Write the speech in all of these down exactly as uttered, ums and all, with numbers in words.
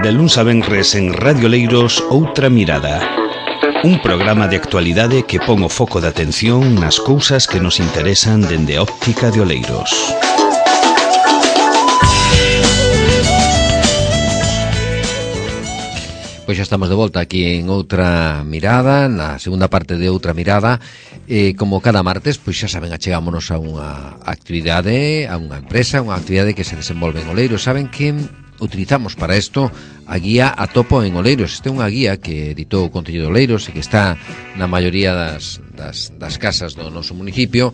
De luns a venres en Radio Oleiros, Outra Mirada. Un programa de actualidade que pon o foco de atención nas cousas que nos interesan dende a óptica de Oleiros. Pois xa estamos de volta aquí en Outra Mirada, na segunda parte de Outra Mirada. eh, Como cada martes, pois xa saben, achegámonos a unha actividade, a unha empresa, unha actividade que se desenvolve en Oleiros. Saben que utilizamos para isto a guía A Topo en Oleiros. Esta é unha guía que editou o Concello de Oleiros e que está na maioría das, das, das casas do noso municipio.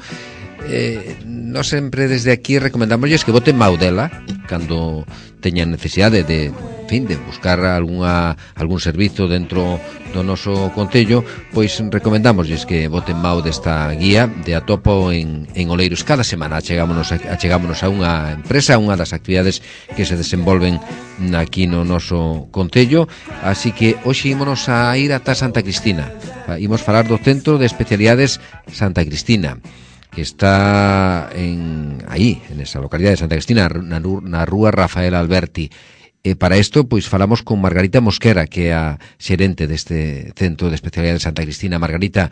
Eh, nós sempre desde aquí recomendámosles que voten mau dela cando teñan necesidade de, en fin, de buscar algunha, algún servizo dentro do noso concello. Pois recomendámosles que voten mau desta guía de A Topo en, en Oleiros. Cada semana achegámonos a, achegámonos a unha empresa, unha das actividades que se desenvolven aquí no noso concello. Así que hoxe ímonos a ir ata Santa Cristina. Imos falar do Centro de Especialidades Santa Cristina, que está en aí, en esa localidade de Santa Cristina, na, na rúa Rafael Alberti. E para isto, pois, falamos con Margarita Mosquera, que é a xerente deste Centro de Especialidade de Santa Cristina. Margarita,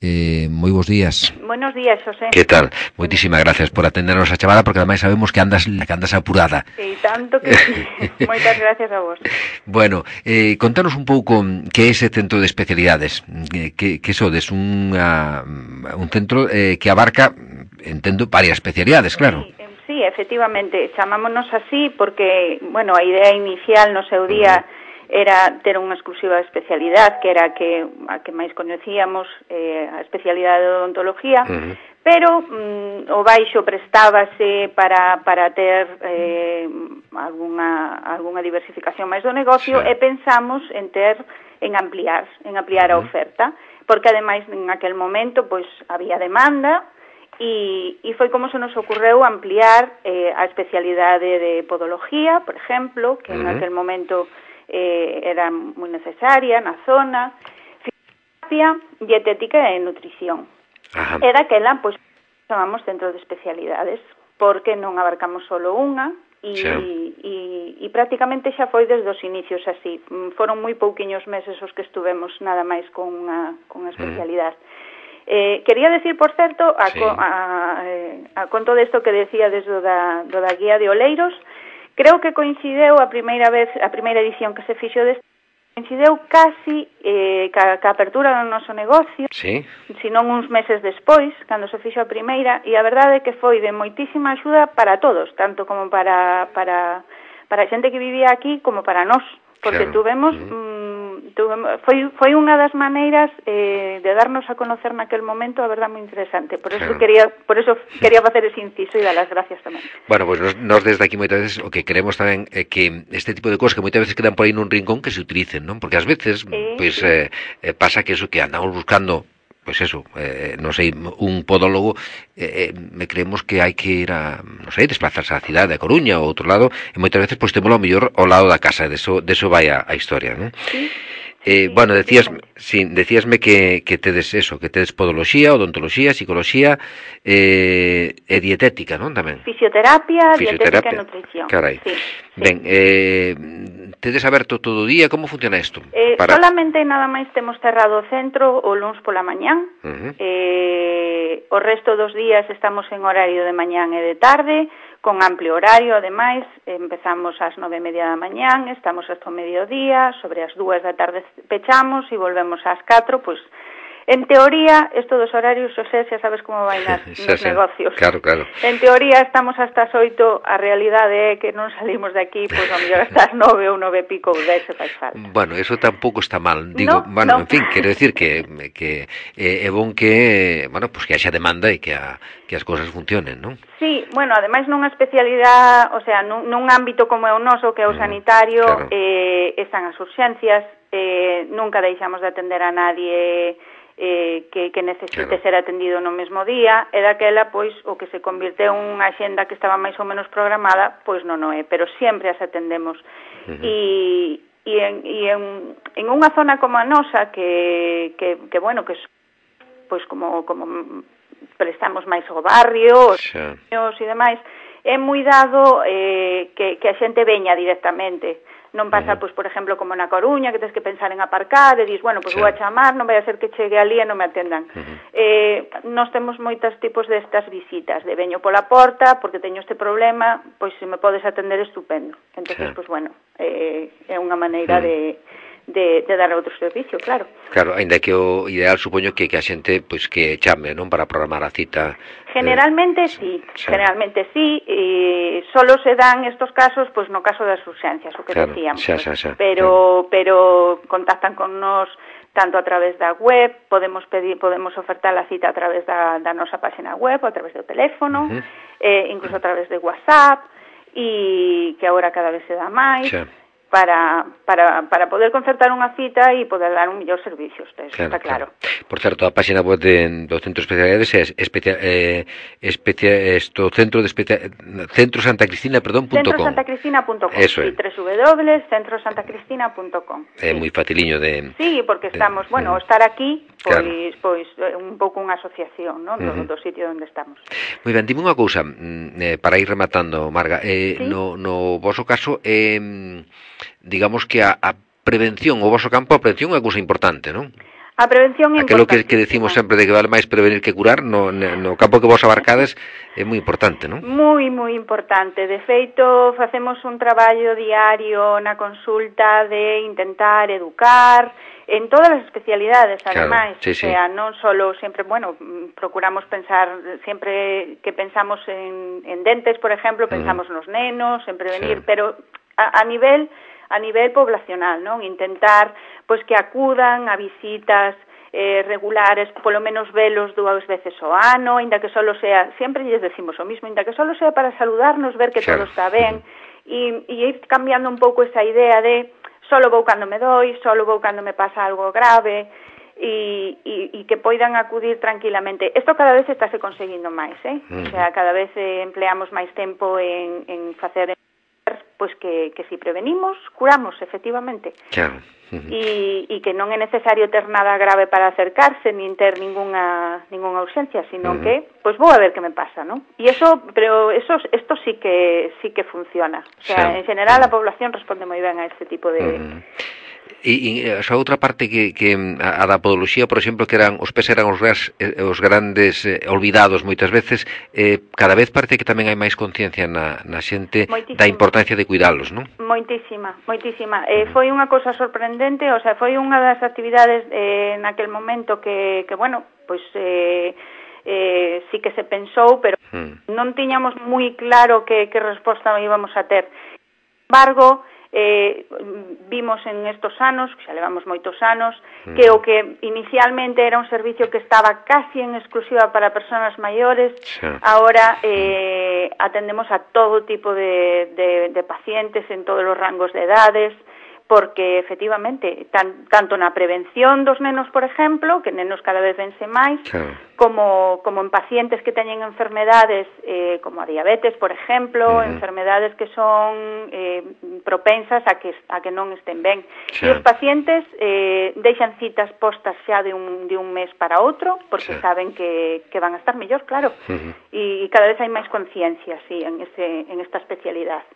eh, moi bons días. Buenos días, José. Que tal? Moitísimas gracias por atendernos a chamada, porque ademais sabemos que andas que andas apurada. E tanto que sí. Moitas gracias a vos. Bueno, eh, contanos un pouco que é ese Centro de Especialidades. Que, que sodes unha, un centro eh, que abarca, entendo, varias especialidades, claro. Sí. Sí, efectivamente, chamámonos así porque, bueno, a idea inicial no seu día era ter unha exclusiva especialidade, que era a que, a que máis coñecíamos, eh, a especialidade de odontología, uh-huh. pero mm, o baixo prestábase para, para ter eh, alguna, alguna diversificación máis do negocio, sí. E pensamos en ter, en ampliar, en ampliar uh-huh. a oferta, porque ademais en aquel momento pois había demanda. E, e foi como se nos ocorreu ampliar eh, a especialidade de podología, por exemplo, que uh-huh. en aquel momento eh, era moi necesaria na zona, fisioterapia, dietética e nutrición. Uh-huh. E daquela, pois, chamamos centro de especialidades, porque non abarcamos solo unha, e, sí. e, e prácticamente xa foi desde os inicios así. Foron moi pouquiños meses os que estuvemos nada máis con unha, con unha especialidade. Uh-huh. Eh, quería decir, por certo, a, sí. a, a, a conto desto que decía desde do da, do da guía de Oleiros, creo que coincideu a primeira vez, a primeira edición que se fixo deste, coincideu casi eh, ca, ca apertura do noso negocio, sí. senón uns meses despois, cando se fixo a primeira, e a verdade é que foi de moitísima axuda para todos, tanto como para, para, para a xente que vivía aquí, como para nós, porque claro. tuvemos... Mm. Foi, foi unha das maneiras eh, de darnos a conocer naquel momento, a verdade, moi interesante. Por eso claro. quería por eso quería facer ese inciso e dar as gracias tamén. Bueno, pois pues nos, nos desde aquí moitas veces o que queremos tamén é que este tipo de cosas que moitas veces quedan por aí nun rincón que se utilicen, non? Porque ás veces, eh, pois, pues, eh, pasa que eso que andamos buscando, pois pues eso, eh, non sei, un podólogo, eh, me creemos que hai que ir a, non sei, desplazarse á cidade, a Coruña ou outro lado, e moitas veces, pois, pues, temos ao mellor ao lado da casa, de eso, de eso vai a, a historia, non? Sí. Eh, bueno, decías, sí, decíasme que, que tedes eso, que tedes podoloxía, odontoloxía, psicología eh, e dietética, non? Tamén. Fisioterapia, Fisioterapia, dietética e nutrición. Carai. Sí, Ben, sí. eh, tedes aberto todo o día, como funciona isto? Eh, Para... Solamente nada máis temos cerrado o centro o luns pola mañán. Uh-huh. Eh, o resto dos días estamos en horario de mañán e de tarde, con amplio horario, ademais, empezamos ás nove e media da mañán, estamos hasta o mediodía, sobre as dúas da tarde pechamos e volvemos ás catro, pois, en teoría, estos dos horarios, Xosé, xa sabes como vai nas, nos sí, negocios. Claro, claro. En teoría estamos hasta as oito, a realidade é que non salimos de aquí, pois, a mellor hasta as nove ou nove e pico, ou dez se faz falta. Bueno, eso tampouco está mal, digo, no, bueno, no. En fin, quero decir que, que eh, é bon que, bueno, pues que haxa demanda e que, a, que as cousas funcionen, non? Sí, bueno, ademais nunha especialidade, o sea, nun, nun ámbito como é o noso, que é o sanitario, claro. eh, están as urxencias, eh, nunca deixamos de atender a nadie eh, que, que necesite claro. ser atendido no mesmo día, e daquela, pois, o que se convirteu en unha axenda que estaba máis ou menos programada, pois non o é, pero sempre as atendemos. Uh-huh. E, e, en, e en, en unha zona como a nosa, que, que, que bueno, que pois como, como prestamos máis ao barrio, os niños e demais, é moi dado eh, que, que a xente veña directamente Non pasa, pois, por exemplo, como na Coruña, que tens que pensar en aparcar, e dis, bueno, pois vou a chamar, non vai a ser que chegue ali e non me atendan. Uh-huh. Eh, nós temos moitos tipos destas visitas, de veño pola porta, porque teño este problema, pois se me podes atender estupendo. Entón, sí. pois, bueno, eh, é unha maneira uh-huh. de... De, de dar outro servicio, claro. Claro, ainda que o ideal supoño que, que a xente pois que chame, non, para programar a cita. Generalmente eh, sí, sí, generalmente sí, e solo se dan estos casos pois no caso das urxencias, o que claro, decíamos. Xa, xa, xa, pero claro. pero contactan con nós tanto a través da web, podemos pedir, podemos ofertar a cita a través da, da nosa página web, a través do teléfono, uh-huh. eh, incluso a través de WhatsApp, e que agora cada vez se dá máis. Xa. Para, para, para poder concertar unha cita e poder dar un mellor servicio, eso claro, está claro. claro. Por certo, a página web de, do Centro de Especialidades é especia, eh, especia, esto, centro de especia, centro santa cristina, perdón, punto com. centro santa cristina punto com. Eso é. Sí, doble u doble u doble u punto centro santa cristina punto com. É sí. moi faciliño de... Sí, porque estamos, de, bueno, de, estar aquí, pois, claro. pois un pouco unha asociación, non, uh-huh. do, do sitio onde estamos. Moi ben, dime unha cousa, eh, para ir rematando, Marga, eh, ¿sí? no, no voso caso, eh, digamos que a, a prevención, o voso campo, a prevención é unha cousa importante, non? A prevención é aquilo que, que decimos sempre de que vale máis prevenir que curar, no, no campo que vos abarcades é moi importante, non? Moi, moi importante. De feito, facemos un traballo diario na consulta de intentar educar en todas as especialidades, ademais. Claro, sí, sí. O sea, non solo, sempre, bueno, procuramos pensar, sempre que pensamos en, en dentes, por exemplo, pensamos uh-huh. nos nenos, en prevenir, sí. pero a, a nivel... a nivel poblacional, non? Intentar pois que acudan a visitas eh, regulares, polo menos velos dúas veces ao ano, inda que solo sea, sempre lles decimos o mismo, inda que solo sea para saludarnos, ver que claro. todo está ben, e, e ir cambiando un pouco esa idea de solo vou cando me doi, solo vou cando me pasa algo grave, e, e, e que poidan acudir tranquilamente. Isto cada vez estáse conseguindo máis, eh? Uh-huh. O sea, cada vez eh, empleamos máis tempo en, en facer pois que, que si prevenimos, curamos, efectivamente. Claro. Uh-huh. E, e que non é necesario ter nada grave para acercarse, nin ter ninguna ninguna urxencia, sino uh-huh. que, pois vou a ver que me pasa, ¿no? E eso, pero eso, esto sí que sí que funciona. O sea, sí. en general a población responde moi ben a este tipo de... Uh-huh. E, e a outra parte que, que a, a da podoloxía, por exemplo, que eran os pés eran os, ras, os grandes eh, olvidados moitas veces, eh, cada vez parece que tamén hai máis conciencia na, na xente moitísima. Da importancia de cuidalos, non? Moitísima, moitísima. Eh, foi unha cosa sorprendente, o sea, foi unha das actividades eh, naquel momento que, que bueno, pois... Eh, eh, sí que se pensou, pero hmm. non tiñamos moi claro que, que resposta íbamos a ter. Sin embargo, eh, vimos en estos anos, que xa levamos moitos anos, mm. que o que inicialmente era un servicio que estaba casi en exclusiva para persoas maiores, sí. ahora eh, atendemos a todo tipo de, de, de pacientes en todos os rangos de edades, porque efectivamente, tan, tanto na prevención dos nenos, por exemplo, que nenos cada vez vense máis, claro. como, como en pacientes que teñen enfermedades eh, como a diabetes, por exemplo, uh-huh. enfermedades que son eh, propensas a que, a que non estén ben. Sí. E os pacientes eh, deixan citas postas xa de un, de un mes para outro, porque sí. saben que, que van a estar mellor, claro. Uh-huh. E, e cada vez hai máis conciencia, sí, en, ese, en esta especialidade.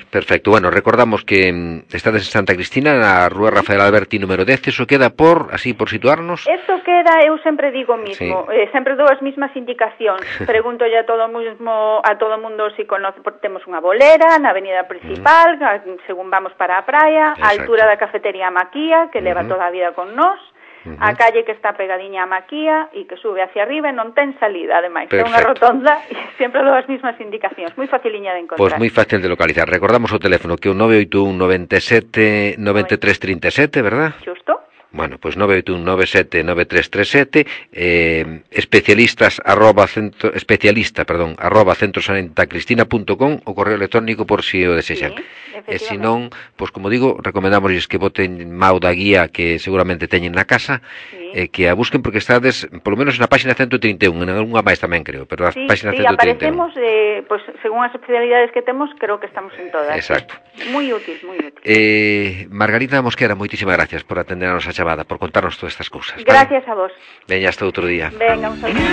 Perfecto. Bueno, recordamos que estades en Santa Cristina, na Rúa Rafael Alberti número dez, eso queda por, así, por situarnos? Eso queda, eu sempre digo mismo, sí. eh, sempre dou as mismas indicacións. Pregunto ya a todo mismo, a todo mundo si conoce, temos unha bolera na avenida principal, uh-huh. según vamos para a praia, a altura da cafetería Maquía, que leva uh-huh. toda a vida con nós, uh-huh. a calle que está pegadiña a Maquía e que sube hacia arriba e non ten salida, ademais. É unha rotonda e sempre dou as mismas indicacións. Moi faciliña de encontrar. Pois pues moi fácil de localizar. Recordamos o teléfono que é o nove oito un nove sete nove tres tres sete, verdad? Xusto. Bueno, pues nove oito un nove sete nove tres tres sete, eh, especialistas arroba centro, especialista, perdón, arroba centrosantacristina punto com, o correo electrónico por si o desexan. Sí, e se non, pois pues, como digo, recomendámosles que boten mau da guía que seguramente teñen na casa, sí. eh, que a busquen porque estades, polo menos na página ciento trinta e un, en algunha máis tamén creo, pero a sí, página sí, ciento trinta e un. aparecemos, eh, pues, según as especialidades que temos, creo que estamos en todas. Exacto. Sí. Moi útil, moi útil. Eh, Margarita Mosquera, moitísimas gracias por atender a nosa chamada, por contarnos todas estas cousas. Gracias, ¿vale? A vos. Veña, hasta outro día. Venga, un saludo.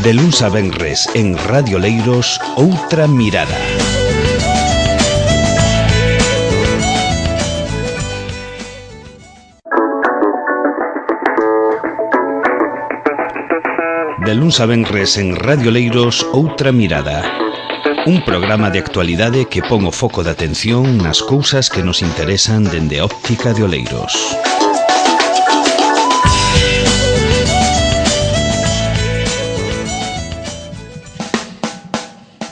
De luns a venres en Radio Leiros, Outra Mirada. De luns a venres en Radio Leiros, Outra Mirada. Un programa de actualidade que pon o foco de atención nas cousas que nos interesan dende a óptica de Oleiros.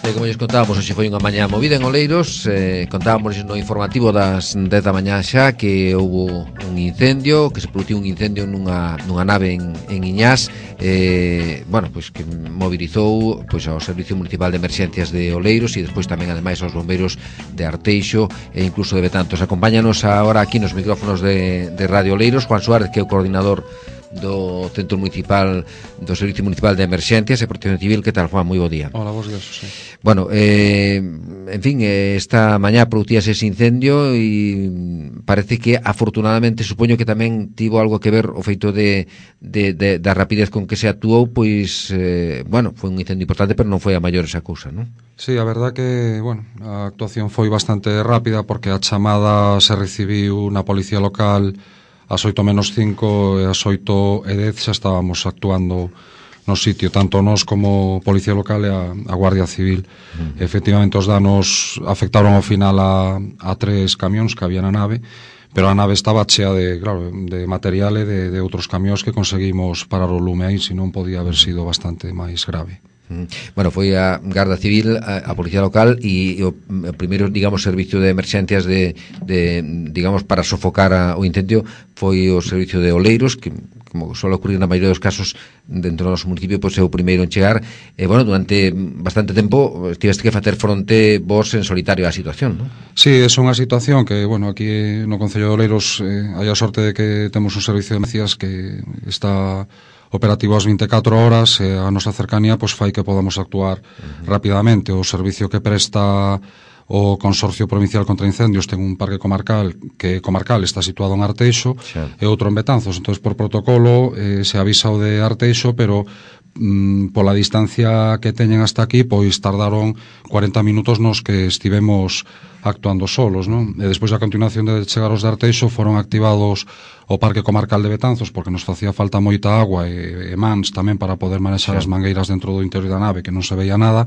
E como lles contábamos, hoxe foi unha mañá movida en Oleiros. eh, Contábamos no informativo das dez da mañá xa que houbo un incendio, que se produciu un incendio nunha, nunha nave en, en Iñás, eh, bueno, pois que mobilizou pois ao Servicio Municipal de Emerxencias de Oleiros e despois tamén ademais aos bombeiros de Arteixo e incluso de Betantos. Acompáñanos agora aquí nos micrófonos de, de Radio Oleiros Juan Suárez, que é o coordinador do Centro Municipal do Servicio Municipal de Emerxencias e Protección Civil. Que tal, Juan? Moi bo día. Hola, vos días, José. Bueno, eh, en fin, eh, esta mañá producíase ese incendio e parece que afortunadamente supoño que tamén tivo algo que ver o feito de, de, de da rapidez con que se actuou, pois, eh, bueno, foi un incendio importante, pero non foi a maior esa cousa, non? Sí, a verdad que, bueno, a actuación foi bastante rápida porque a chamada se recibiu na Policía Local ás oito menos cinco e ás oito e dez xa estábamos actuando no sitio, tanto nós como Policía Local e a, a Guardia Civil. Uh-huh. Efectivamente, os danos afectaron ao final a, a tres camións que había na nave, pero a nave estaba chea de, claro, de material e de, de outros camións que conseguimos parar o lume aí, senón podía haber sido bastante máis grave. Bueno, foi a Garda Civil, a, a Policía Local e o, o primeiro, digamos, servicio de emerxencias de, de digamos, para sofocar a, o incendio foi o servicio de Oleiros, que, como suele ocurrir na maioría dos casos dentro do noso municipio, pois é o primeiro en chegar. E, bueno, durante bastante tempo tiveste que facer fronte vos en solitario á situación, non? Sí, é unha situación que, bueno, aquí no Concello de Oleiros eh, hai a sorte de que temos un servicio de emerxencias que está operativo ás vinte e catro horas e a nosa cercanía pois fai que podamos actuar uh-huh. rapidamente. O servicio que presta o Consorcio Provincial contra Incendios ten un parque comarcal que comarcal está situado en Arteixo sí. e outro en Betanzos. Entonces, por protocolo eh, se avisa o de Arteixo, pero mm, pola distancia que teñen hasta aquí, pois tardaron cuarenta minutos nos que estivemos actuando solos, non? E despois a continuación de chegar os de Arteixo foron activados o Parque Comarcal de Betanzos porque nos facía falta moita agua e, e mans tamén para poder manexar sí. as mangueiras dentro do interior da nave, que non se veía nada,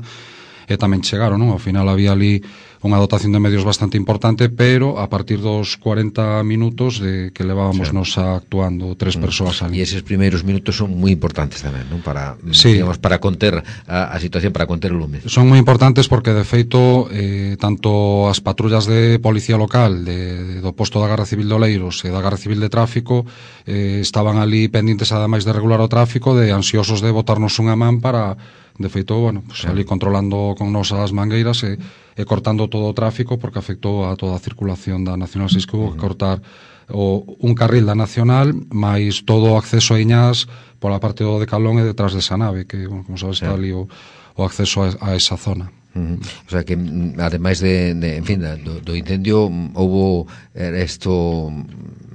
e tamén chegaron, non? Ao final había ali unha dotación de medios bastante importante, pero a partir dos cuarenta minutos de que levábamos sí. nos actuando tres mm. persoas ali. E eses primeiros minutos son moi importantes tamén, non? Para, sí. digamos, para conter a, a situación, para conter o lume. Son moi importantes porque, de feito, eh, tanto as patrullas de Policía Local de, do posto da Garda Civil de Oleiros e da Garda Civil de Tráfico eh, estaban ali pendentes, ademais de regular o tráfico, de ansiosos de botarnos unha man para, de feito, bueno, pues, ali controlando con nos as mangueiras e, e cortando todo o tráfico porque afectou a toda a circulación da Nacional seis, que hubo que cortar o, un carril da Nacional máis todo o acceso a Iñás pola parte do Decalón e detrás desa nave que, bueno, como sabes, está ali o, o acceso a, a esa zona. Uh-huh. O sea que, ademais de, de en fin, do, do incendio, houbo esto,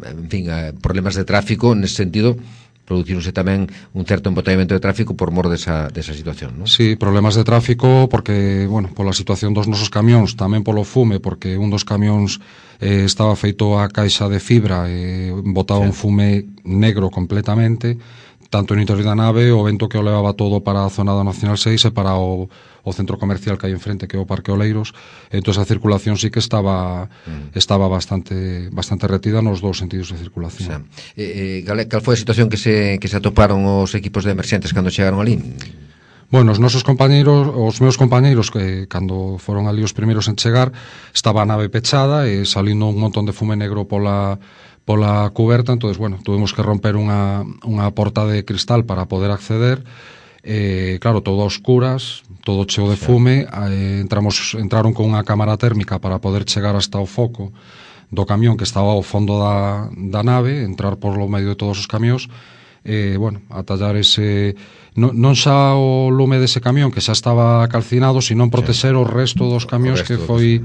en fin, problemas de tráfico nese sentido. Producironse tamén un certo embotellamento de tráfico por mor desa, desa situación, non? Sí, problemas de tráfico porque, bueno, pola situación dos nosos camións, tamén polo fume, porque un dos camións eh, estaba feito a caixa de fibra e eh, botaba sí. un fume negro completamente, tanto no interior da nave, o vento que o levaba todo para a zona da Nacional seis e para o, o centro comercial que hai enfrente, que é o Parque Oleiros. Entón a circulación sí que estaba mm. estaba bastante bastante retida nos dous sentidos de circulación. O sea, eh, eh, cal foi a situación que se, que se atoparon os equipos de emerxentes cando chegaron ali? Bueno, os nosos compañeiros, os meus compañeiros que cando foron ali os primeiros en chegar, estaba a nave pechada e salindo un montón de fume negro pola pola cuberta, entonces, bueno, tuvimos que romper unha, unha porta de cristal para poder acceder, eh, claro, todo a oscuras, todo cheo de fume, eh, entramos, entraron con unha cámara térmica para poder chegar hasta o foco do camión que estaba ao fondo da, da nave, entrar por lo medio de todos os camións, eh, bueno, atallar ese, non, non xa o lume dese camión que xa estaba calcinado, sino protexer o resto dos camións, que foi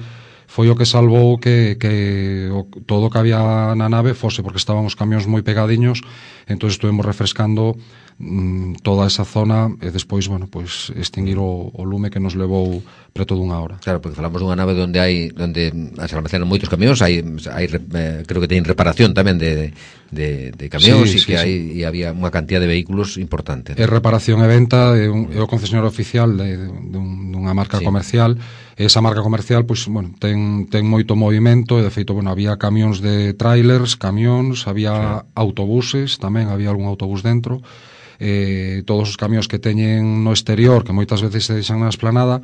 foi o que salvou que, que o, todo o que había na nave fose, porque estaban os camións moi pegadiños, entón estuvemos refrescando mm, toda esa zona e despois, bueno, pois extinguir o, o lume que nos levou preto dunha hora. Claro, porque falamos dunha nave onde hai onde se almacenan moitos camións, hai, hai eh, creo que teñen reparación tamén de, de, de camións e sí, que sí, hai sí. E había unha cantidad de vehículos importante. É reparación e venta, é, un, é o concesionario oficial de, de, de dunha marca sí. comercial. Esa marca comercial, pois, bueno, ten, ten moito movimento e, de feito, bueno, había camións de trailers, camións, había sí. autobuses, tamén había algún autobús dentro, eh, todos os camións que teñen no exterior, que moitas veces se deixan na esplanada,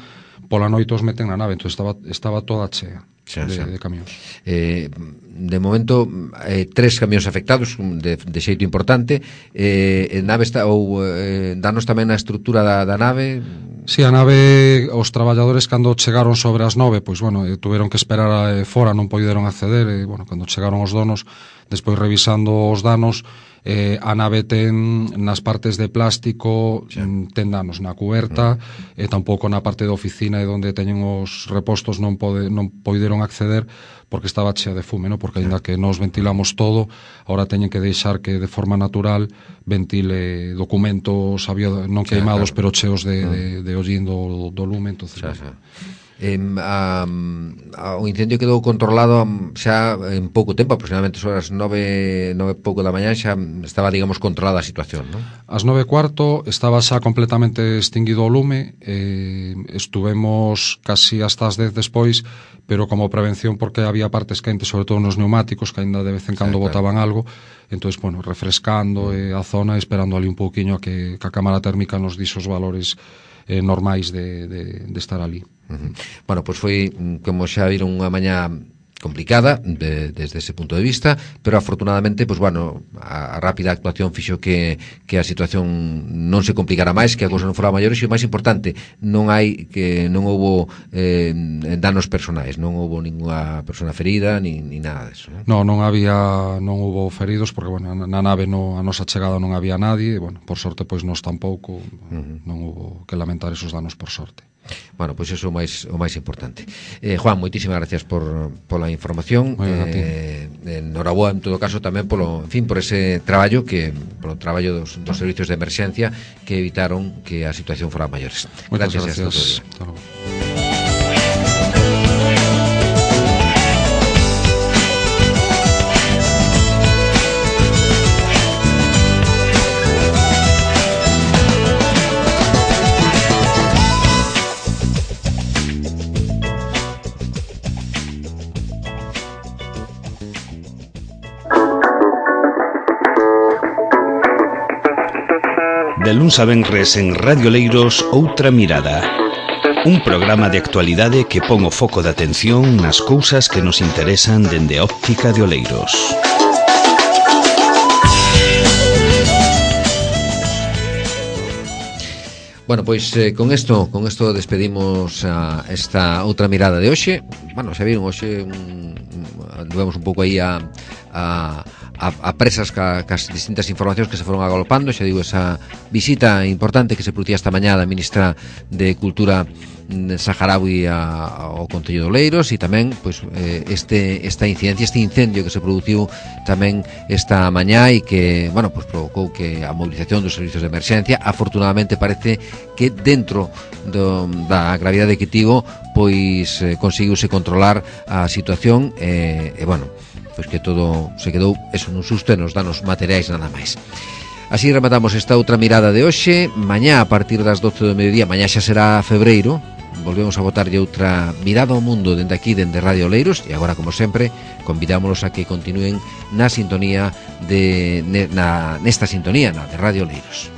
pola noite os meten na nave, entón estaba, estaba toda chea xa, de, xa. de camións. Eh, de momento, eh, tres camións afectados de, de xeito importante. Eh, nave está, ou eh, danos tamén a estrutura da, da nave? Si, sí, a nave, os traballadores cando chegaron sobre as nove, pois, bueno, eh, tuveron que esperar eh, fora, non poideron acceder, e, bueno, cando chegaron os donos, despois revisando os danos, eh, a nave ten nas partes de plástico, sí. ten danos na cuberta, mm. e tampouco na parte de oficina e onde teñen os repostos non, pode, non poideron acceder porque estaba chea de fume, ¿no? Porque ainda que nos ventilamos todo, ahora teñen que deixar que de forma natural ventile documentos había non queimados, claro, pero cheos de, mm. de, de hollín do, do lume, entonces... Xa, xa. Eh, a, a, o incendio quedou controlado xa en pouco tempo, aproximadamente sobre as nove, nove pouco da mañá xa estaba, digamos, controlada a situación, non? As nove cuarto estaba xa completamente extinguido o lume, eh, estuvemos casi hasta as dez despois, pero como prevención porque había partes quentes, sobre todo nos neumáticos, que ainda de vez en cando sí, botaban claro. algo, entonces, bueno, refrescando mm. eh, a zona, esperando ali un pouquiño a que, que a cámara térmica nos dixo os valores eh, normais de, de, de estar ali. Uh-huh. Bueno, pois pues foi, como xa viron, unha mañá complicada de, desde ese punto de vista, pero afortunadamente, pues bueno, a, a rápida actuación fixo que, que a situación non se complicara máis, que a cousa non fora maior, e o máis importante, non hai que non houbo eh, danos personais, non houbo ninguna persona ferida ni, ni nada deso, non? No, non había, non houbo feridos porque, bueno, na nave no, a nosa chegada non había nadie, e, bueno, por sorte, pois nos tampouco, uh-huh. non houbo que lamentar esos danos por sorte. Bueno, pois pues iso é o máis o máis importante. Eh, Juan, moitísimas gracias por pola información. Eh, enhoraboa en todo caso tamén polo, en fin, por ese traballo que polo traballo dos, dos servicios de emerxencia que evitaron que a situación fora maiores. Gracias, gracias. Hasta luego. De luns a venres en Radio Leiros, Outra Mirada. Un programa de actualidade que pon o foco de atención nas cousas que nos interesan dende a óptica de Oleiros. Bueno, pois eh, con isto, con isto despedimos a esta outra mirada de hoxe. Bueno, xa viron hoxe un, anduvemos un pouco aí a, a a, a presas ca, cas distintas informacións que se foron agolpando. Xa digo, esa visita importante que se producía esta mañá da ministra de Cultura saharaui ao Concello de Oleiros, e tamén pois, eh, este, esta incidencia, este incendio que se produciu tamén esta mañá e que, bueno, pois provocou que a movilización dos servicios de emerxencia, afortunadamente parece que dentro do, da gravidade que tivo, pois eh, conseguiuse controlar a situación e, eh, eh, bueno, pois que todo se quedou eso nun susto e nos danos materiais nada máis. Así rematamos esta outra mirada de hoxe. Mañá a partir das doce do mediodía, mañá xa será febreiro, volvemos a botarlle outra mirada ao mundo dende aquí, dende Radio Oleiros, e agora, como sempre, convidámonos a que continúen na sintonía de, na, nesta sintonía, na de Radio Oleiros.